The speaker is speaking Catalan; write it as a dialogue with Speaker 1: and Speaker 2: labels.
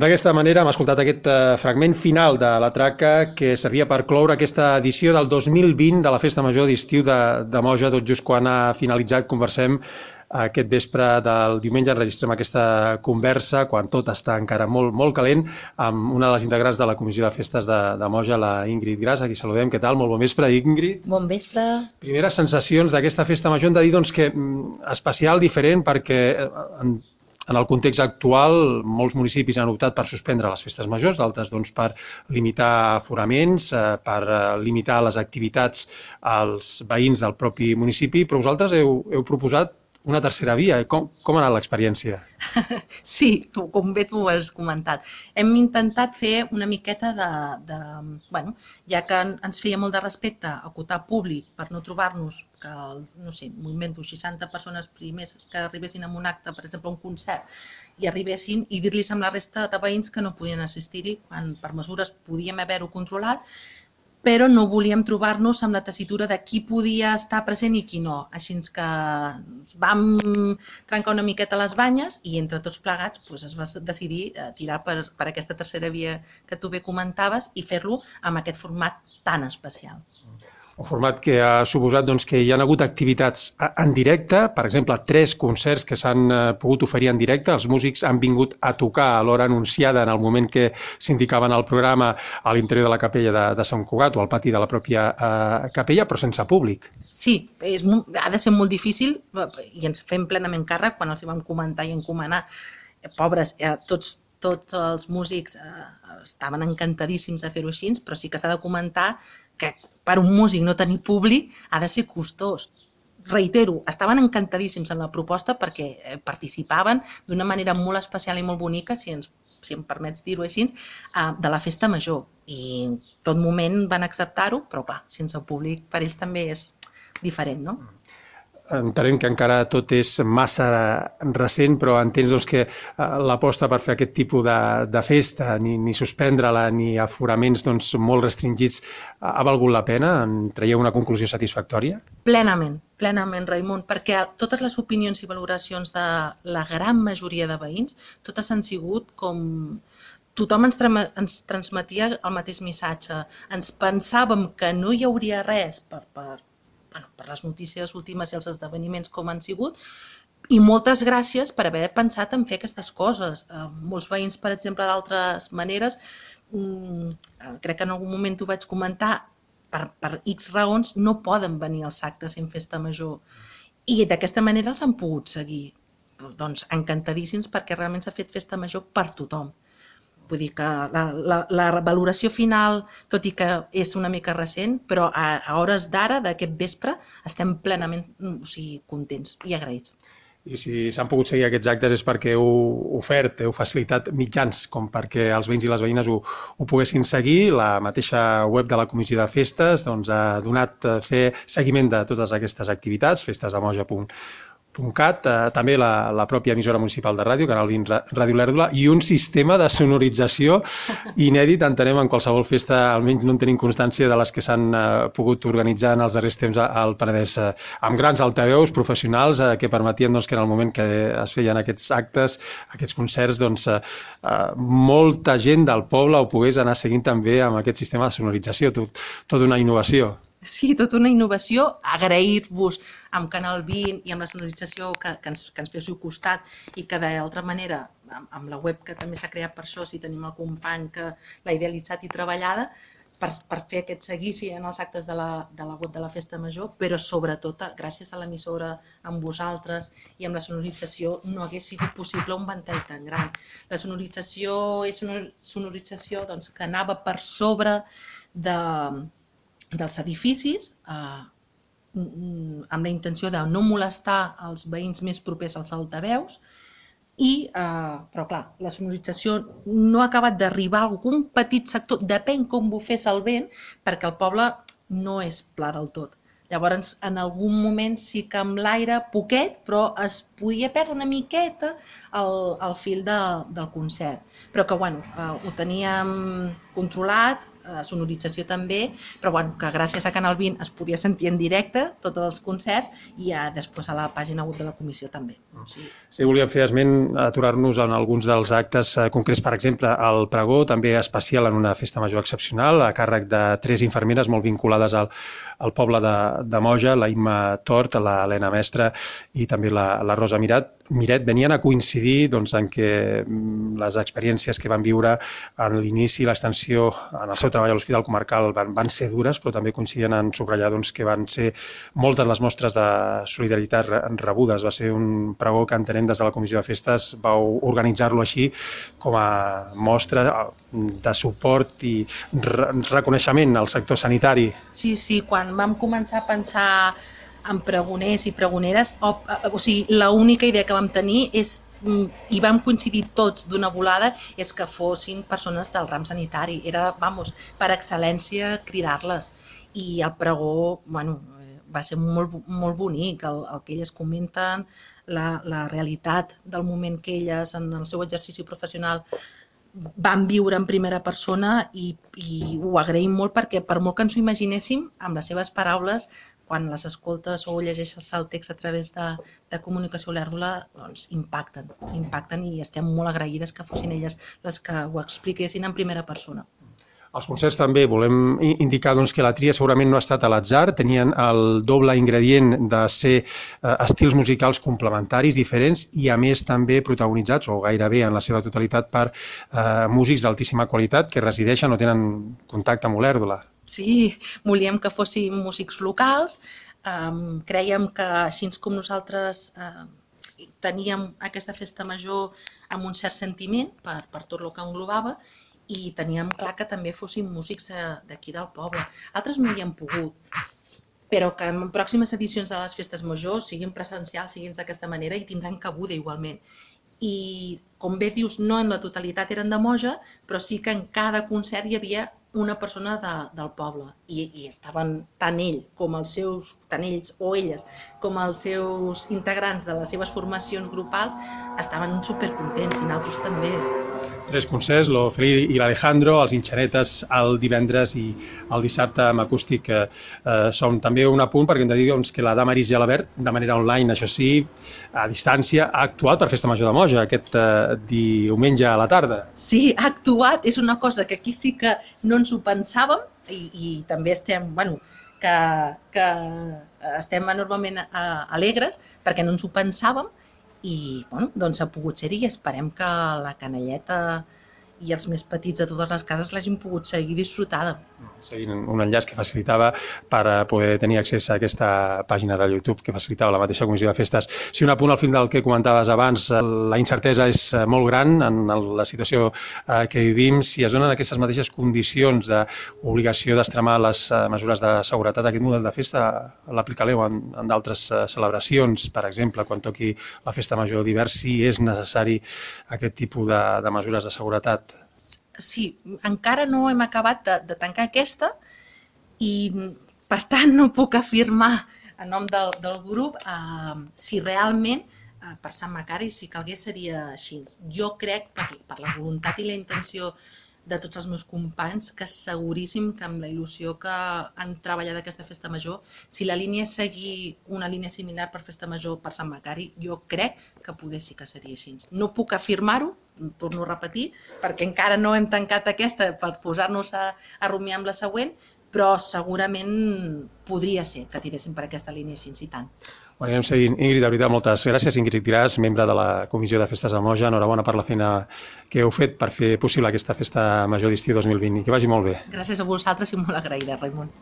Speaker 1: d'aquesta manera hem escoltat aquest fragment final de la traca que servia per cloure aquesta edició del 2020 de la Festa Major d'estiu de Moja. Tot just quan ha finalitzat conversem aquest vespre del diumenge, enregistrem aquesta conversa quan tot està encara molt, molt calent amb una de les integrants de la Comissió de Festes de Moja, la Ingrid Gras, a qui saludem. Què tal? Molt bon vespre, Ingrid.
Speaker 2: Bon vespre.
Speaker 1: Primeres sensacions d'aquesta Festa Major. Hem de dir doncs, que especial, diferent, perquè en el context actual molts municipis han optat per suspendre les festes majors, d'altres doncs, per limitar aforaments, per limitar les activitats als veïns del propi municipi, però vosaltres heu proposat una tercera via. Com ha anat l'experiència?
Speaker 2: Sí, com bé tu has comentat. Hem intentat fer una miqueta bueno, ja que ens feia molt de respecte acotar públic per no trobar-nos que, no sé, m'invento 60 persones primers que arribessin a un acte, per exemple, a un concert, i arribessin i dir-los amb la resta de veïns que no podien assistir-hi, quan per mesures podíem haver-ho controlat, però no volíem trobar-nos amb la tessitura de qui podia estar present i qui no. Així que vam trencar una miqueta les banyes i entre tots plegats es va decidir tirar per aquesta tercera via que tu bé comentaves i fer-lo amb aquest format tan especial.
Speaker 1: Un format que ha suposat que hi ha hagut activitats en directe, per exemple, 3 concerts que s'han pogut oferir en directe. Els músics han vingut a tocar a l'hora anunciada en el moment que s'indicaven al programa a l'interior de la capella de Sant Cugat o al pati de la pròpia capella, però sense públic.
Speaker 2: Sí, ha de ser molt difícil i ens fem plenament càrrec quan els hi vam comentar i encomanar. Pobres, tots els músics estaven encantadíssims de fer-ho així, però sí que s'ha de comentar que per un músic no tenir públic ha de ser costós. Reitero, estaven encantadíssims en la proposta perquè participaven d'una manera molt especial i molt bonica, si em permets dir-ho així, de la Festa Major. I en tot moment van acceptar-ho, però clar, sense públic per ells també és diferent, no?
Speaker 1: Entenem que encara tot és massa recent, però entens que l'aposta per fer aquest tipus de festa, ni suspendre-la, ni aforaments molt restringits, ha valgut la pena? En traieu una conclusió satisfactòria?
Speaker 2: Plenament, Raimon, perquè totes les opinions i valoracions de la gran majoria de veïns, totes han sigut com... Tothom ens transmetia el mateix missatge. Ens pensàvem que no hi hauria res per les notícies últimes i els esdeveniments com han sigut, i moltes gràcies per haver pensat en fer aquestes coses. Molts veïns, per exemple, d'altres maneres, crec que en algun moment t'ho vaig comentar, per X raons no poden venir als actes en Festa Major, i d'aquesta manera els han pogut seguir. Doncs encantadíssims perquè realment s'ha fet Festa Major per tothom. Vull dir que la valoració final, tot i que és una mica recent, però a hores d'ara, d'aquest vespre, estem plenament contents i agraïts.
Speaker 1: I si s'han pogut seguir aquests actes és perquè heu ofert, heu facilitat mitjans com perquè els veïns i les veïnes ho poguessin seguir. La mateixa web de la Comissió de Festes ha donat fer seguiment de totes aquestes activitats, festesdemoja.cat, també la pròpia emissora municipal de ràdio, Canal 20 Ràdio Lèrdula, i un sistema de sonorització inèdit, entenem, en qualsevol festa, almenys no en tenim constància de les que s'han pogut organitzar en els darrers temps al Penedès, amb grans altaveus professionals que permetien que en el moment que es feien aquests actes, aquests concerts, molta gent del poble ho pogués anar seguint també amb aquest sistema de sonorització, tota una innovació.
Speaker 2: Sí, tota una innovació, agrair-vos amb Canal 20 i amb la sonorització que ens féssiu costat i que d'altra manera, amb la web que també s'ha creat per això, si tenim el company que l'ha idealitzat i treballada, per fer aquest seguici en els actes de la web de la Festa Major, però sobretot gràcies a l'emissora, amb vosaltres i amb la sonorització no hagués sigut possible un ventall tan gran. La sonorització és una sonorització que anava per sobre dels edificis amb la intenció de no molestar els veïns més propers als altaveus, però clar, la sonorització no ha acabat d'arribar a algun petit sector, depèn com bufés el vent, perquè el poble no és pla del tot. Llavors, en algun moment sí que amb l'aire poquet, però es podia perdre una miqueta el fil del concert. Però que, ho teníem controlat, sonorització també, però bueno, que gràcies a Canal 20 es podia sentir en directe tots els concerts i després a la pàgina web de la comissió també.
Speaker 1: Sí, volíem fer esment, aturar-nos en alguns dels actes concrets, per exemple, el pregó també especial en una festa major excepcional, a càrrec de 3 infermeres molt vinculades al poble de Moja, la Imma Tort, l'Helena Mestre i també la Rosa Miret, venien a coincidir en què les experiències que van viure en l'inici i l'extensió en el seu treball a l'Hospital Comarcal van ser dures, però també coincidien en subratllar que van ser moltes les mostres de solidaritat rebudes. Va ser un pregó que entenem des de la Comissió de Festes vau organitzar-lo així com a mostra de suport i reconeixement al sector sanitari.
Speaker 2: Sí, quan vam començar a pensar en pregoners i pregoneres, o sigui, l'única idea que vam tenir és, i vam coincidir tots d'una volada, és que fossin persones del ram sanitari. Era, per excel·lència, cridar-les. I el pregó, va ser molt bonic, el que elles comenten, la realitat del moment que elles, en el seu exercici professional, van viure en primera persona i ho agraïm molt perquè, per molt que ens ho imaginéssim, amb les seves paraules, quan les escoltes o llegeixes el text a través de comunicació olèrdola, doncs impacten i estem molt agraïdes que fossin elles les que ho expliquessin en primera persona.
Speaker 1: Els concerts també volem indicar que la tria segurament no ha estat a l'atzar, tenien el doble ingredient de ser estils musicals complementaris, diferents i a més també protagonitzats, o gairebé en la seva totalitat, per músics d'altíssima qualitat que resideixen o tenen contacte amb Olèrdola.
Speaker 2: Sí, volíem que fossin músics locals, crèiem que així com nosaltres teníem aquesta festa major amb un cert sentiment per tot el que englobava, i teníem clar que també fossin músics d'aquí del poble. Altres no hi hem pogut, però que en pròximes edicions de les festes majors siguin presencials, siguin d'aquesta manera i tindran cabuda igualment. I, com bé dius, no en la totalitat eren de Moja, però sí que en cada concert hi havia una persona del poble i estaven tant ells o elles com els seus integrants de les seves formacions grupals estaven supercontents i nosaltres també.
Speaker 1: 3 concerts, l'Ofeli i l'Alejandro, els Inxanetes el divendres i el dissabte amb acústic som també un apunt perquè hem de dir que la Damaris Gelabert, de manera online, això sí, a distància, ha actuat per Festa Major de Moja aquest diumenge a la tarda.
Speaker 2: Sí, ha actuat, és una cosa que aquí sí que no ens ho pensàvem i també estem, que estem enormement alegres perquè no ens ho pensàvem i doncs ha pogut ser-hi i esperem que la canalleta i els més petits de totes les cases l'hagin pogut seguir disfrutada.
Speaker 1: Seguint un enllaç que facilitava per poder tenir accés a aquesta pàgina de YouTube que facilitava la mateixa Comissió de Festes. Si un apunt al final del que comentaves abans, la incertesa és molt gran en la situació que vivim. Si es donen aquestes mateixes condicions d'obligació d'extremar les mesures de seguretat, aquest model de festa l'aplicareu en d'altres celebracions, per exemple, quan toqui la festa major d'hivern, si és necessari aquest tipus de mesures de seguretat?
Speaker 2: Sí, encara no hem acabat de tancar aquesta i, per tant, no puc afirmar en nom del grup si realment per Sant Macari, si calgués, seria així. Jo crec, per la voluntat i la intenció de tots els meus companys, que seguríssim que amb la il·lusió que han treballat aquesta festa major, si la línia és seguir una línia similar per festa major per Sant Macari, jo crec que poder sí que seria així. No puc afirmar-ho, torno a repetir, perquè encara no hem tancat aquesta per posar-nos a rumiar amb la següent, però segurament podria ser que tiréssim per aquesta línia així, i tant.
Speaker 1: Anem seguint. Ingrid, de veritat, moltes gràcies. Ingrid Gras, membre de la Comissió de Festes de Moja. Enhorabona per la feina que heu fet per fer possible aquesta festa major d'estiu 2020 i que vagi molt bé.
Speaker 2: Gràcies a vosaltres i molt agraïda, Raimon.